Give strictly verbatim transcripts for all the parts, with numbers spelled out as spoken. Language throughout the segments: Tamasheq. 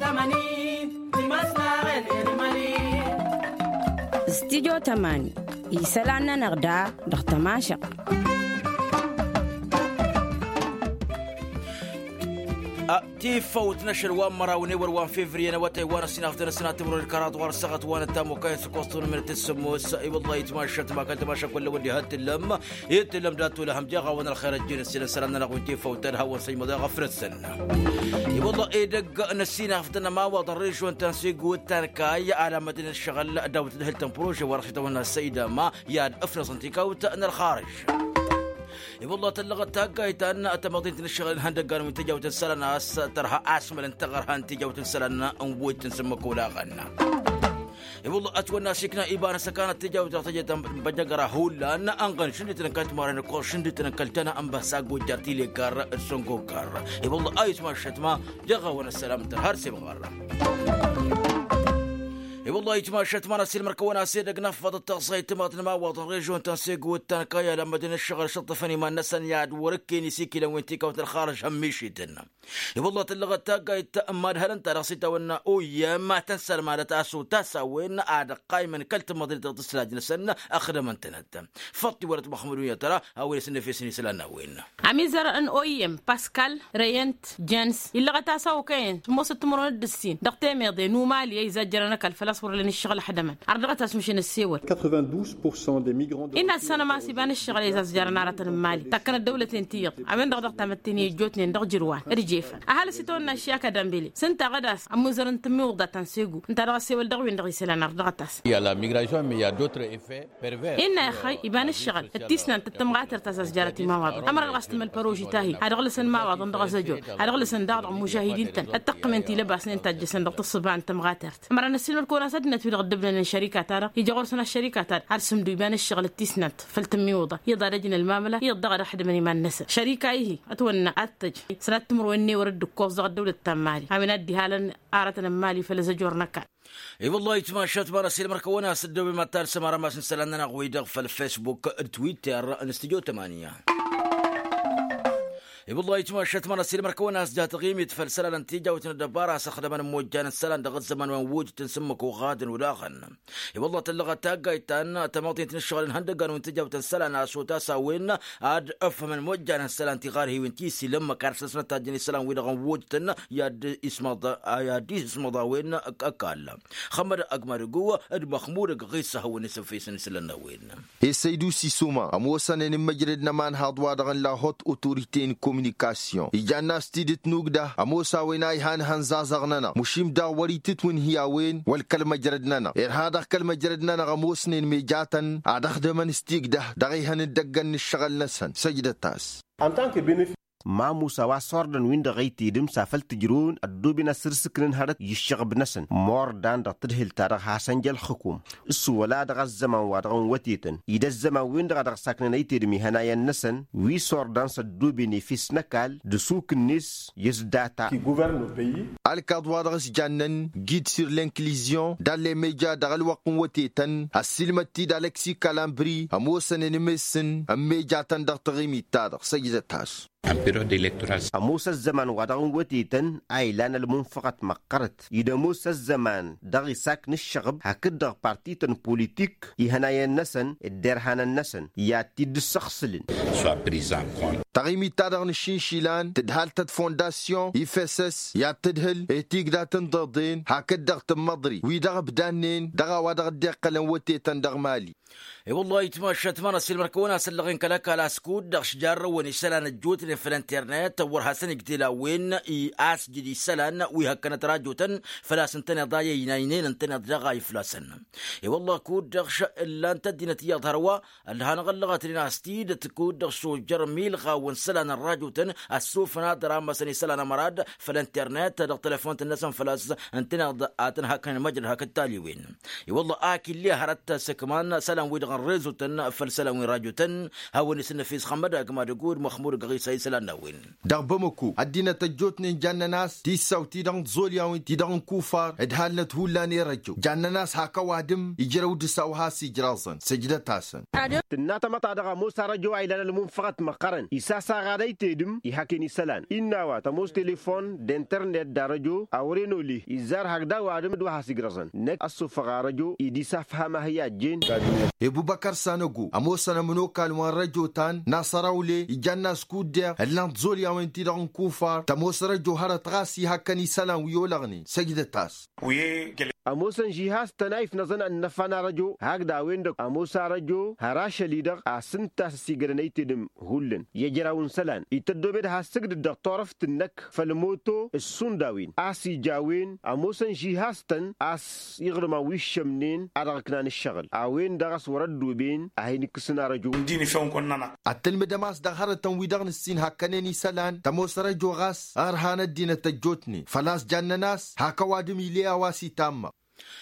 Tămani timăslaɣen irmali. Studyo tămani isălan-nănăɣ da dăɣ-tămašăɣt. Tifăwt n-ašăl wa n-măraw n-ewăr wa n-fevriye n-awătay wa n-ăssinafdăn ăssinat timrăwed kăraḍ wa n-ăssaɣăt wa n-ăttam okayăn s-ăkkoẓ tunămnet s-sămmos. I-wălla itmašăt ma kăl-tămašăt kull-wăddi hăt tǝllăm. Itǝllăm dat-tulăhăm jeɣ-awăn ălxer ăjjin ăssinăsălan-nănăɣ wi n-tifăwt tăd hawăn-săjmăḍ i-aɣăfrăsăn. I-wălla edăgg n-ăssinafdăn ămawaḍ n-režon ta n-segu d-tankay ala mădin ăššăɣǝl daw-tǝdhǝlt n-prože wa dăɣ-s itawănna săydama i-ad-ǝfnăẓ n-tikawt n-ălxarǝž. I-wălla tăllăɣăt taggayt ta n-tămăḍint n-ǝššăɣǝl n-ihăndăggan wi n-tijawt n-isălan a-s tărha asmăl n-taɣărha n-tijawt n-isălan n-wăjj tǝnsǝmmăk olaɣăn. I-wălla ătwănna asikna iba n-asăkanăt tijawt dăɣ-tejăt n-băjăgăra hullan ănɣăn šǝndităn n-kăl-timaren ǝkkoẓ šǝndităn n-kăl-tăna n-băhsa gojjar tilekar d-săngogar. I-wălla a itmašăt ma jeɣ-awăn ăssălam tărha d-semɣăr. I-wălla itmašăt ma n-asilmăr kăwăn-as edăgg n-afăḍăt taẓẓayt timaḍ n-imawaḍăn režon ta n-segu d-tankay alămmădăn ǝššăɣǝl šăṭṭăfăn iman-năsăn i-ad-wăr-ǝkken isikilăn wi n-tikawt n-ălxarǝž hămmišităn. I-wălla tǝllăɣăt taggayt n-imadhălăn-ta-dăɣ s-itawănna oyyăm tăn-sălmadăt a-s otas a-wen ad-ăqqaymăn kăl-tǝmmăḍrit dăɣ-tǝslaj-năsăn ăxdămăn-tănăt. Făṭṭ-i wăr-ătmăxmăd-wi n-ad-tăra a-wen isǝnnăfesăn isălan n-a-wen. Ămizăr n-oyyăm paskal reyent jens illăɣăt-as a okăyăn s-ămoosăt timǝrwen d-ǝssin dăɣ-temeḍe n-umali a izajjărăn ăkall făl-a-s wăr ǝlăn ǝššăɣǝl ăxdămăn. Ar dăɣ-ătasmăšăn ăssewăl. Inna ăssanăm a-s iba n-ǝššăɣǝl a izazjărăn aratăn n-imali takkănăt dăwlăten ti iyyăḍ a-wen-dăɣ dăɣ-tamătte n-i ăjjootnen dăɣ-ijrǝwan d-jefăn ăhalǝs itawănna ăššiyaka dămbele s-ǝnta a ɣădas ămmuzărăn tǝmmiwǝḍa ta n-segu ǝnta a dăɣ-ăssewăl dăɣ-win-dăɣ isălan ar dăɣ-ătas. Inna ixăy iba n-ǝššăɣǝl d-tisnant d-tămɣatert a-s ăzjarăt imawaḍăn ămăra dăɣ-s tǝmmăl păroži ta-hi ad-ăɣlăsăn imawaḍăn dăɣ-azăjor ad-ăɣlăsăn daɣ dăɣ-imužahidin-tăn ăttăqqǝmen tilăbasnen tajjăsăn dăɣ-tǝssǝba n-tămɣatert. Ămăra n-ăssiilmăd-kăwăn-as ăddinăt-wi-dăɣ ǝddǝbnănen šărika-ta-dăɣ ija ɣur-săn ăššărika-ta-dăɣ har sǝmdu iba n-ǝššăɣǝl d-tisnant făll-tǝmmiwǝḍa iyyăḍ ad-ăjǝn ălmamăla iyyăḍ daɣ ad-ăxdǝmăn iman-năsăn šărika-i-hi ătwănna ad-tăj sănat timǝrwen n-ewăr dd-ǝkkoẓ dăɣ-ăddăwlăt ta n-mali a-wen ad-dd-ihalăn aratăn n-mali făll-azăjor n-ăkall. I-wăllah itmašat ma n-ăsilmăr-kăwăn-as ăddooben ma t-ad-sămăra ma s-n-isălan-nănăɣ wi-dăɣ făll-fesbuk d-twitter n-studyo tămanya. I-wăllah itmašat ma n-ăsilmăr-kăwăn-as ja taɣimit făll-isălan n-tijawt n-ăddăbara a-s ăxdămăn n-imojjan n-isălan dăɣ-ăzzăman wa n-wujǝt n-sǝmmǝk oɣadăn olaɣăn. I-wăllah tăllăɣăt taggayt ta n-tămaḍint n-ǝššăɣǝl n-ihăndăggan wi n-tijawt n-isălan a-s otas a-wen ad-ăfhămăn imojjan n-isălan tiɣarhiwin ti s-ilămmăk ad-săsnăt tajjăn isălan-wi-dăɣ n-wujǝt n-i ad-ismăḍ a-wen ăkall. Xămmăd ăgg-madǝgu d-măxmud ăgg-ɣisa hawăn-isăfesăn isălan n-a-wen. Esăydu sisuma ămoosănen n-măjrăd n-ămanhaḍ-wa-dăɣ n-la hot autorite n-kominikasyon ijann'-as tidǝt n-ugdăh ămoos a-wen a ihan ihănzazăɣ-nănăɣ mušim daɣ wăr-itǝtwǝnhǝy a-wen wăl kăl-măjrăd-nănăɣ irha dăɣ-kăl-măjrăd-nănăɣ ămoosnen mejatăn ad-ăxdămăn s-tigdăh dăɣ-ehăn n-idăggăn n-ǝššăɣǝl-năsăn săjdăt-as. Ma musa wa s-ordăn-win-dăɣ a itedǝm s-afăl tǝjrǝwăn ăddooben asǝrsǝknăn hărăt i-ǝššăɣǝb-năsăn mordan dăɣ-tadhǝlt-ta-dăɣ hasăn-ja ălxǝkum s-wăla dăɣ-ăzzăman-wa-dăɣ n-wătetăn i-dd-ăzzăman-win-dăɣ a dăɣ-saknăn a itedǝm ihănayăn-năsăn wi s-ordăn s-ăddooben efes n-ăkall d-asuk-net i-s data. Ălkaḍ-wa-dăɣ s-jannăn gid sur l'inklizion d-allemeja dăɣ-ălwăqq n-wătetăn ăssiilmăd-t-dd alăksi kalambri ămoosănen imes-săn n-mejatăn dăɣ-taɣimit-ta-dăɣ săjdăt-as. Ămoos ăzzăman-wa-dăɣ n-wătetăn a ilan ălmunfăɣăt măqqărăt-i d-ămoos ăzzăman dăɣ-isakn ǝššăɣǝb hakd-dăɣ partităn politik ihănayăn-năsăn d-derhanăn-năsăn i-ad-t-dd-ǝssăɣsǝlăn. Taɣimit-ta-dăɣ n-ašinšilan tǝdhal-tăt fondasyon ifesăs i-ad-tǝdhǝl i-tigda tǝnḍăḍen hakd-dăɣ tǝmmăḍri wi-dăɣ ǝbdannen dăɣ-a-wa dăɣ-dd-iqqălăn wătetăn dăɣ-mali. I-wăllah itmašat ma n-ăsilmăr-kăwăn-as ǝllăɣen kăl-ăkall a-s kud-dăɣ šjarrăwăn isălan ăjjootnen făll-internet wăr hasăn-ǝjdel a-wen i-asjǝd isălan wi hăkkănăt rajotăn făl-a-s ǝntăneḍ a i-ăynaynen ǝntăneḍ daɣ a iflasăn. I-wăllah kud-dăɣ ǝllan-t ăddinăt iyyăḍ hărwa ălhanăɣ ăllăɣătnen a-s tidăt kud-dăɣ sojăr milɣawăn isălan n-rajotăn ăssufăn ad-ărammăsăn isălan ămărad făll-internet dăɣ-telefont-năsăn făl-a-s ǝntăneḍ ad-tăn-hakkăn măjrăd hakd taliwen. I-wălla ak ill'-e hărăt săkman isălan-wi-dăɣ n-rezo-tăn făll-isălan wi n-rajotăn hawăn-isǝnnăfes xămmăd agmad ăgg-dd măxmud ăgg-ɣisa. Isălan n-a-wen. Dăɣ-bamăko ăddinăt ăjjootnen jannen a-s tissaw-ti-dăɣ n-tiẓolyawen-ti-dăɣ n-kufar ǝdhalnăt hullan i-răjo jannen a-s hak ăwadǝm ijrăw dăr-s a-wa has-ijraẓăn săjdăt-asăn. Tǝnna tamăḍt-ta-dăɣ ămoos arăjo a ilan ălmunfăɣăt măqqărăn isasaɣ ad-ăytedǝm ihăken isălan innă a-wa tămoos telefon d-internet d-arăjo a wăren ole izzar hakd ăwadǝm d-wa has-ijraẓăn năkk ăssufăɣ arăjo idis afham a hi-ajjen. Ebubăkăr sanăgo ămoosăn ămănokal wa n-răjo ta n-nasărawle ijann'-as kuddeɣ ǝllan tiẓolyawen-ti-dăɣ n-kufar tămoos răjo hărăt ɣas ihăkkăn isălan wi olăɣnen săjdăt-as. Ămoosăn žihaz-tăn a ifnăẓăn ănnăfa n-arăjo hakd a-wen-dăɣ ămoos arăjo har ašăl-i-dăɣ a-s ǝnta a-s ăsigădăn ăytedăm hullan i-ejăraw n-isălan ităddoobed has-sǝgdǝd dăɣ-turăft-năk făll-moto d-išund a-wen a-s ija a-wen ămoosăn žihaz-tăn a-s iɣrǝm a-wa iššămnen a dăɣ-ǝknan ǝššăɣǝl a-wen-dăɣ a-s wăr-ăddooben a hin-ikkǝsǝn arăjo. Ăttălmǝdăm a-s dăɣ-hărătăn-wi-dăɣ nǝssin hakkănen isălan tămoos arăjo ɣas ărhan ăddinăt ăjjootnen făl-a-s jannăn a-s hak ăwadǝm ile a-wa s-itamma.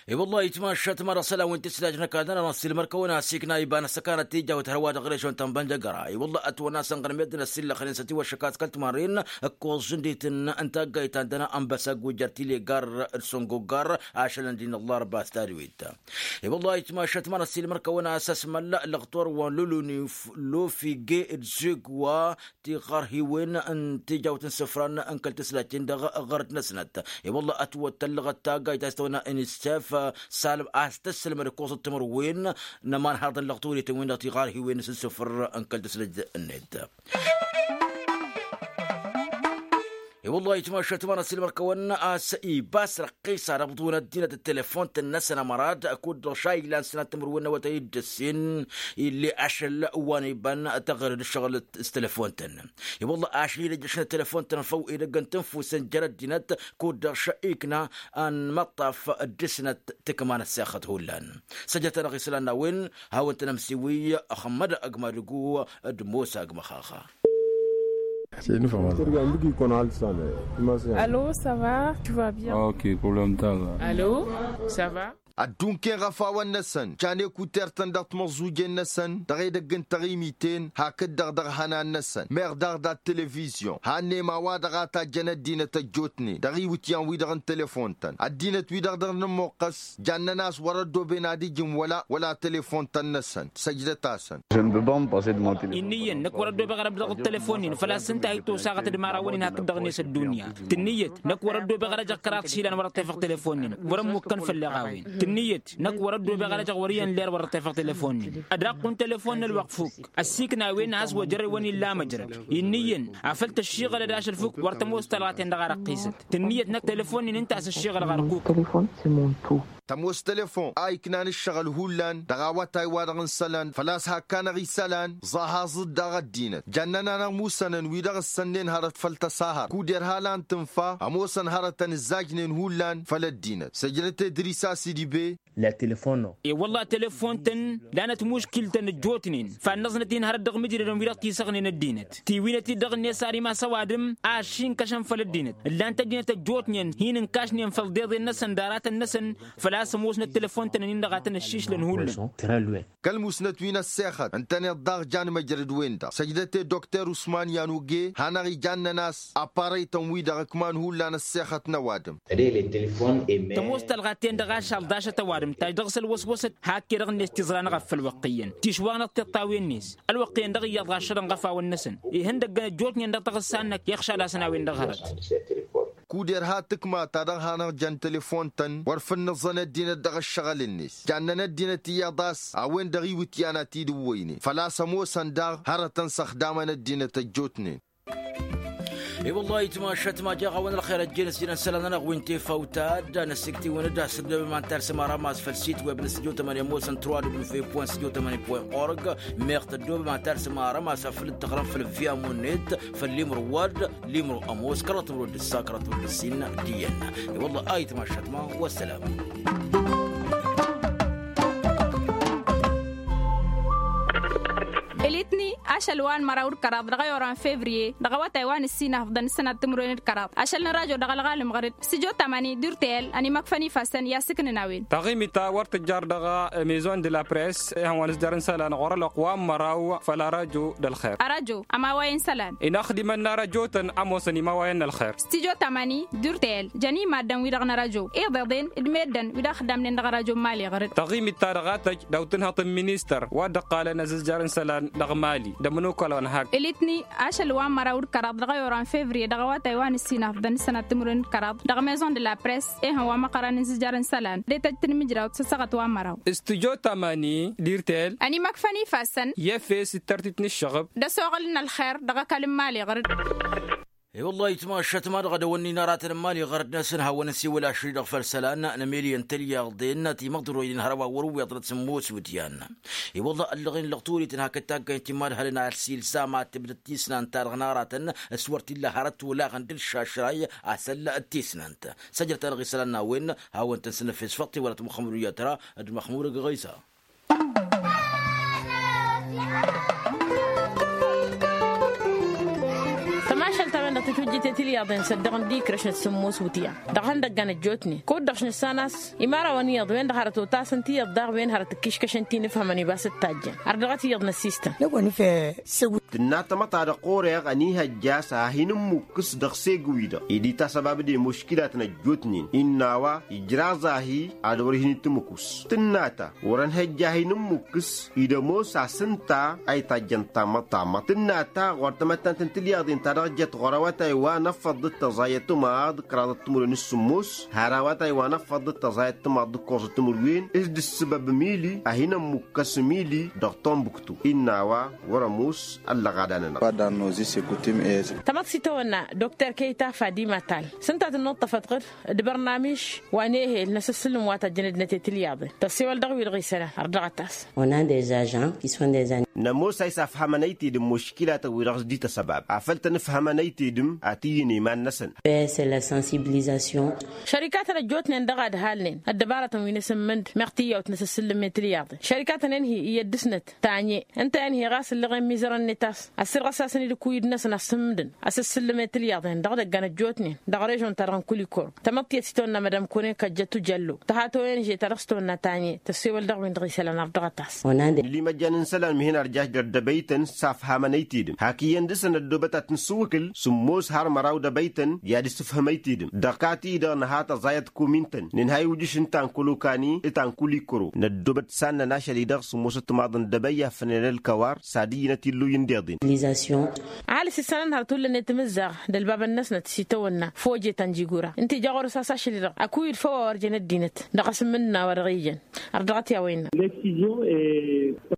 I-wăllah itmašat măra isălan wi n-tislajnăk ad-dăr-nănăɣ s-ilmăr-kăwăn-as ikna iba n-ăssăkanăt tijawt hărwa dăɣ-režon ta n-bănjăgăra i-wăllah ătwănna a-s ănɣălmed n-ăsillăxnen s-ătiwăššăk a-s kăl-timarren ǝkkoẓ žǝndit n-taggayt ta n-dăr-nănăɣ ănbăsag wi jer-tile gar d-săngogar ašălăn din ăllarba s-tadwit. I-wăllah itmašat măra s-ilmăr-kăwăn-as ăsmăl lăɣtor wa n-lulunif lofige d-zeg wa tiɣărhiwen n-tijawt n-isǝfran n-kăl-tǝslat-in-dăɣ ɣărăt-năsnăt. I-wălla ătwăttăllăɣăt taggayt a-s tăwănna n-issef salăm a-s tǝssǝlmăd ǝkkoẓăt timǝrwen n-ămanhăḍăn lăɣtăwălităn-wen-dăɣ tiɣărhiwen s-isǝfr n-kăl-tǝslat-net. I-wălla itmašat măra s-ilmăr-kăwăn a-s ibas răqqisa dăɣ-ăbḍǝwăn ăddinăt d-telefon-tăn-năsăn ămărad kud-dăɣ šaylan sănat timǝrwen n-awătay d-ǝssin. Ill'-e ašăl wa n-iban tăɣrǝd ǝššăɣǝl s-telefon-tăn. I-wălla ašăl-i d-ăjjăšăn telefon-tăn făw edăgg n-tǝnfusăn jer-ăddinăt kud-dăɣ šă'ikna ănmăṭṭaf d-dăr-snăt tǝkma n-ăssexăt hullan. Săjdăt-anăɣ isălan n-a-wen hawăn-tăn-ămsiwǝy. Ăxmăd ăgg madǝgu d-mosa ăgg măxaxa. Allo, ça va? Tu vas bien? Allo, ça va? Tu vas bien? Ok, problème ta la. Allo, ça va? Ăddunkăyăn ɣăfawăn-năsăn can ekuter-tăn dăɣ-timăẓẓujen-năsăn dăɣ-edăgg n-taɣimiten hakd-dăɣ dăɣ-ihănan-năsăn meɣ daɣ dat-televizyon hannem a-wa-dăɣ a tajjăn ăddinăt ăjjootnen dăɣ-iwǝtyan-wi-dăɣ n-telefon-tăn ăddinăt-wi-dăɣ dăr-nămmoqqăs. Jannăn a-s wăr-ăddooben ad-ǝjǝm wăla wăla telefon-tăn-năsăn săjdăt-asăn. Innă iyyăn năkk wăr-ăddoobeɣ ad-ăbdăɣ d-telefon-in făl-a-s ǝnta a hi-tosaɣăt d-imărawăn-in hakd-dăɣ-net ăddunya. Tǝnnǝyăt năkk wăr-ăddoobeɣ ad-ăjăɣ kăraḍ išilan wăr-ăṭṭefăɣ telefon-in wăr-ămmukkăn făll-eɣawen. Tǝnnǝyăt năkk wăr-ăddoobeɣ ad-ăjăɣ wăr iyyăn ler wăr-ăṭṭefăɣ telefon-in. Ad-aqqun telefon n-ălwăqq fukk ăssiiknawen a has-wăjrăd wăn-illa măjrăd. Innă iyyăn afăl tăššiɣălăd ašăl fukk wăr tămoos talɣa-ten-dăɣ a răqqisăt. Tǝnnǝyăt năkk telefon-in ǝnta a-s ăššiɣălăɣ ărkuk. Tămoos telefon a iknan ǝššăɣǝl hullan dăɣ-awătay-wa-dăɣ n-isălan făl-a-s hakk-anăɣ isălan. Ẓahaẓ-dd daɣ ăddinăt jannăn-anăɣ musănăn wi-dăɣ ǝssănnen hărăt făll-tăsahăr kud-erha lan tǝnfa ămoosăn hărătăn ǝzzajnen hullan făll-ăddinăt săjdăt edris a-s idǝbe. I-wălla telefon-tăn lanăt muškil-tăn ăjjootnen fannăẓnăt-in hărăt dăɣ-imǝjrădăn wi-dăɣ tisăɣnen ăddinăt tiwǝynăt-dd dăɣ-net ar imas ăwadǝm a ăššinkăšăn făll-ăddinăt ǝllan-t ăddinăt ăjjootnen hin-ǝnkašnen făll-iḍeḍen-năsăn d-aratăn-năsăn. Făl-a-s ămoosnăt telefon-tăn-in-dăɣ a tăn-ăššišlăn hullan. Kăl-musnăt wi n-ăssexăt ǝntăneḍ daɣ jan măjrăd-wen-dăɣ săjdăt-e dokter usman yanuge hanăɣ-ijannăn a-s aparăy-tăn-wi-dăɣ ǝkman hullan ăssexăt n-ăwadǝm. Tămoos talɣa-ten-dăɣ ašal ḍašăt ăwadǝm tajj dăɣ-s ălwăswăsăt hak-e-dăɣ-net tiẓra n-eɣăf făll-wăqqi iyyăn tišwaɣnăt tiṭṭawen-net. Ălwăqq iyyăn dăɣ-iyyăḍ ɣaššădăn ɣăfawăn-năsăn ihăndăggăn ăjjootnen dăɣ-taɣǝssa-năk i-ăɣšal-asăn a-wen-dăɣ hărăt. Kud-irha tǝkma-ta-dăɣ hanăɣ-jăn telefon-tăn wăr făl nǝẓẓăn ăddinăt dăɣ-ăššăɣǝl-net jannăn ăddinăt iyyăḍ a-s a-wen-dăɣ iwǝtyan a t-dd-ǝwwăynen făl-a-s ămoosăn daɣ hărătăn s-ăxdamăn ăddinăt ăjjootnen. I-wăllah itmašat ma jaɣ-awăn ălxer ăjjeen ăssinăn isălan-nănăɣ wi n-tefawt ta d-ad-năssiktiwăn-dd a-s tăddoobem ad-tarsǝm arămas făll-sit web n-studio tămăni ămoosăn trois w point studio tămăni point org. Meɣ tăddoobem ad-tarsǝm arămas afăl dd-tăɣrăm făll-via monet făll-imru wădd limru ămoos kăraḍ timru d-ǝssa kăraḍ timru d-ǝssin. D-iyyăn i-wăllah a itmašat ma. Wăssălam. Eletni aš ašăl wa n-măraw d-kăraḍ dăɣ-ayorăn fevriye dăɣ-awătay wa n-ǝssin afḍăn ǝssănat timǝrwen d-kăraḍ ašăl n-rajo dăɣ-ălɣalăm ɣăr-dd stujo tamani d-urtăyăl ănimăkfăn ifassăn i-asǝknǝn a-wen. Taɣimit-ta wăr tǝjjar dăɣ-maison de la press ihăn wa n-ǝzjar n-isălan ɣur-ălwăqq wa n-măraw făll-arajo d-ălxer. Arajo ămaway n-isălan. Inaxdimăn n-arajotăn ămoosăn imawayăn n-ălxer. Stujo tamani d-urtăyăl jăn i-maddǝn-wi-dăɣ n-arajo iḍeḍen d-meddǝn wi-dăɣ ăxdamnen dăɣ-arajo n-mali ɣăr-dd. Taɣimit-ta-dăɣ a tăjj daw-tǝnhăḍt n-ministăr wa dd-ǝqqalăn azǝzjar n-isălan dăɣ-mali d-ămănokal wa n-hak. Ilitni ašăl wa n-măraw d-kăraḍ dăɣ-ayorăn fevriye dăɣ-awătay wa n-ǝssin afḍăn ǝssănat timǝrwen d-kăraḍ dăɣ-maison de la press ihăn wa măqqărăn n-azǝzjar n-isălan d-e-tăjj tǝnmǝjrawt s-ăssaɣăt wa n-măraw. Stujo tamani d-urtăyăl ănimăkfăn ifassăn i-efes d-tărtit n-ǝššăɣǝb d-ăsoɣǝl n-ălxer dăɣ-ăkall n-mali ɣăr-dd. E-wăllah itmašat ma dăɣ-dăwănnin aratăn n-mali ɣăr-dd n-asǝnhawăn n-siwǝl ašri dăɣ-făll-isălan n-emeli n-tălyăḍen timăḍroynen hărăwa wăr-ǝwweḍ n-asǝmmos wǝdyan. E-wăllah ăllăɣen lăɣturit n-hakd taggayt timadhălăn a ălsilsa ma tǝbdăd tisnant-ta-dăɣ n-aratăn s-wăr t-illa hărăt olaɣăn d-ǝlšašray asăl d-tisnant. Săjrăt-anăɣ isălan n-a-wen hawăn-tăn-sǝnnăfes făṭṭi wăla tămxămru i-atra d-măxmur ăgg ɣisa. Tămašalt a-wen-dăɣ tǝtwǝjjǝte tilyaḍen săddăɣăn d-ikrăšnăt sǝmmos wǝtyan dăɣ-ihăndăggan ăjjootnen kud-dăɣ šnǝssan a-s imărawăn iyyăḍ wen-dăɣ hărăt otasăn tiyyăḍ daɣ wen hărăt ǝkkiškăšăn tinǝfhămăn ibas d-tajjăn. Ărdăɣăt iyyăḍ n-ăssistăn. Năwăn făsăwǝt. Tǝnna tamăḍt ta dăɣ-ɣur-eɣ ănihăjja a-s ad-hin-ǝmmukkǝs dăɣ-seg-wi-dăɣ ed itasăbabăd i-muškilatăn ăjjootnen innă a-wa ijraẓ-ahi ad-wăr-hin-itǝmǝk tǝnna ta wăr-ănhăjja ad-hin-ǝmmukkǝs-i d-ămoos a-s ǝnta a itajjăn tamăḍt tamăḍt tǝnna ta ɣur-tamăttant n-tilyaḍen ta dăɣ-jăt ɣur-awătay wa n-ăffăḍ d-tăẓayăt timaḍ kăraḍăt timǝrwen s-sǝmmos har awătay wa n-ăffăḍ d-tăẓayăt timaḍ d-ǝkkoẓăt timǝrwen s-dd-ǝssǝbăb mili ad-hin-ămmukkăs mili dăɣ-tombuktu innă a-wa wăr-ămoos ăllăɣada-nănăɣ. Tamăḍt s-itawănna dokter keyta fadima tal s-ǝnta tǝnnuṭṭăfăt ɣǝr d-bărnamiš wa n-ehel n-asǝssǝlǝm wa tăjjăn ăddinăt i-tilyaḍen tăssewăl dăɣ-wi-dăɣ isălan ărdăɣăt-as. Nămoos a isafhamăn ăytedǝm muškilatăn-wi-dăɣ s-dd-ităsăbab afăl tăn-ǝfhămăn ăytedǝm ad-t-iyyǝn i-iman-năsăn. Šărikatăn ăjjootnen dăɣ-ad-halnen ăddăbarătăn wi n-asǝmmǝnd meɣ tiyyawt n-asǝssǝllǝm i-tilyaḍen šărikatăn enhi iyyăt dăr-snăt tanye ǝnta enhi ɣas ǝllăɣen mizărăn-net a-s ăssirɣăs-asăn-dd ǝkuyǝd-năsăn asǝmmǝdăn asǝssǝllǝm i-tilyaḍen dăɣ-idăggan ăjjootnen dăɣ-režon-ta-dăɣ n-kulikoro. Tamăḍt tiyyăt s-itawănna madam kone kăjjăt tujallo tăhatăwăyăn žeta dăɣ-s tawănna tanye tăssewăl dăɣ-win-dăɣ isălan ărdăɣăt-as. Nǝlimăjjan n-isălan mihen ărjaš dăr-dăbăytăn s-afhamăn ăytedǝm hak iyyăn dăr-săn ăddoobăt ad-tăn-sǝwwǝkǝl sǝmmos har măraw dăbăytăn i-ad-ǝssǝfhǝm ăytedǝm dăɣ-ka-ti-dăɣ nǝha tăẓayăt komintăn nǝnha iwǝjǝš n-ta n-kolokani ta n-kulikoro năddoobăt s-ad-năn ašăl-i-dăɣ sǝmmosăt timaḍăn dăbăy a fănelăl kăwar s-ad-iyyǝnăt illuy n-deḍen. Ăhalǝs isălan hărăt hullan i-timǝzzaɣ d-ălbabăn-năsnăt s-itawănna foje tanjigura ǝnta ija ɣur-s a-s ašăl-i-dăɣ ăkuyǝd făw a wăr jăn ăddinăt dăɣ-asǝmmǝd n-a-wa dăɣ-iyyăn. Ărdăɣăt i-a-wa innă.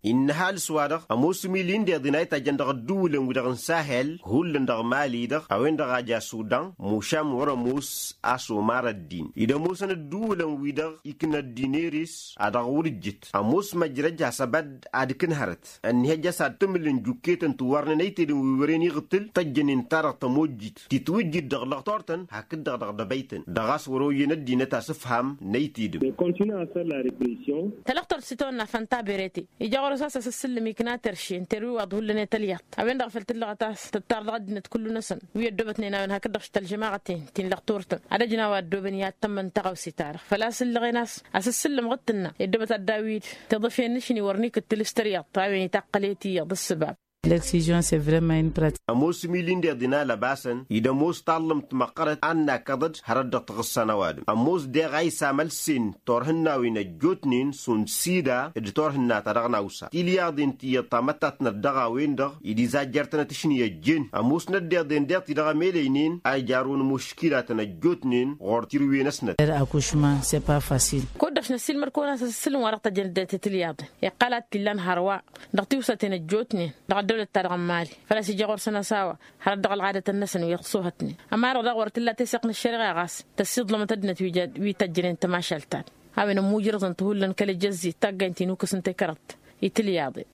Innă ăhalǝs-wa-dăɣ ămoos imili n-deḍen a itajjăn dăɣ-ădduulăn-wi-dăɣ n-sahel hullan dăɣ-mali-dăɣ a-wen-dăɣ a ja sudan mušam wăr-ămoos a-s omar ăddin-i d-ămoosăn ădduulăn-wi-dăɣ ikna ăddin eres a dăɣ-wăr-ǝjjǝt ămoos măjrăj hasăb ad-dd-ad-kǝn hărăt ănnihăjja a-s ad-tǝmǝlǝn juketăn tiwărnen ăytedǝm wi wăren iɣtǝl tăjjănen-ta-dăɣ tămojjit titwǝjjit dăɣ-lăɣtor-tăn hakd-dăɣ dăɣ-dăbăytăn dăɣ-a-s wăr-oyyăn ăddinăt asǝfham n-ăytedǝm. Tălăɣtort s-itawănna fănta berete ija ɣur-s a-s asǝssǝllǝm ikna terše n-terwiwaḍ hullan i-tălyaḍt a-wen-dăɣ făl tǝllăɣăt a-s tǝttar dăɣ-ăddinăt kullu-năsăn wi ăddoobătnen a-wen hakd-dăɣ š-tălžămaɣăten ti n-lăɣturtăn ad-ăjna wa ăddoobăn i-ad-tămmăn tăɣawse-ta-dăɣ făl-a-s ǝllăɣen a-s asǝssǝllǝm ɣǝd tǝnna i-ăddoobăt ad-dd-awid tiḍǝfen n-ašni wăr n-ikǝttǝl s-tăryăḍt a-wen itaqqăl i-tiyyăḍ ǝssǝbab. Lăksižon s-e vrema in prat. Ămoos imili n-deḍen a lăbasăn-i d-ămoos taḍlǝmt măqqărăt ad-nakăḍăd hărăt dăɣ-taɣǝssa n-ăwadǝm ămoos deɣ a isamălsen turhǝnnawen ăjjootnen šund sida d-turhǝnna-ta-dăɣ n-awsa tilyaḍen tiyyăḍ tamăttatnăt dăɣ-a-wen-dăɣ i-dd-izajjărtănăt ašni ăjjeen ămoosnăt deḍen deḍ-ti-dăɣ ămelăynen a ijarrǝwăn muškilatăn ăjjootnen ɣur-tirǝwen-năsnăt. Kud-dăɣ šnăssiilmăd-kăwăn-as asǝssǝlǝm wa dăɣ-tăjjăn ăddinăt i-tilyaḍen iqqăl ad-t-illan hărwa dăɣ-tiwsaten ăjjootnen dăɣ-ăddăwlăt-ta-dăɣ n-mali făl-a-s ija ɣur-săn ăsawa hărăt dăɣ-ălɣadătăn-năsăn wi ăṣṣuhătnen ămareɣ daɣ wăr t-illa teseɣt n-ăššăreɣa ɣas tăssiḍlămăt ăddinăt wi tăjjănen tămašalt-ta-dăɣ a-wen ămmuujrăẓăn-t hullan kăl-ejăzzet taggaynt-in ukǝs n-tekărăḍt i-tilyaḍen.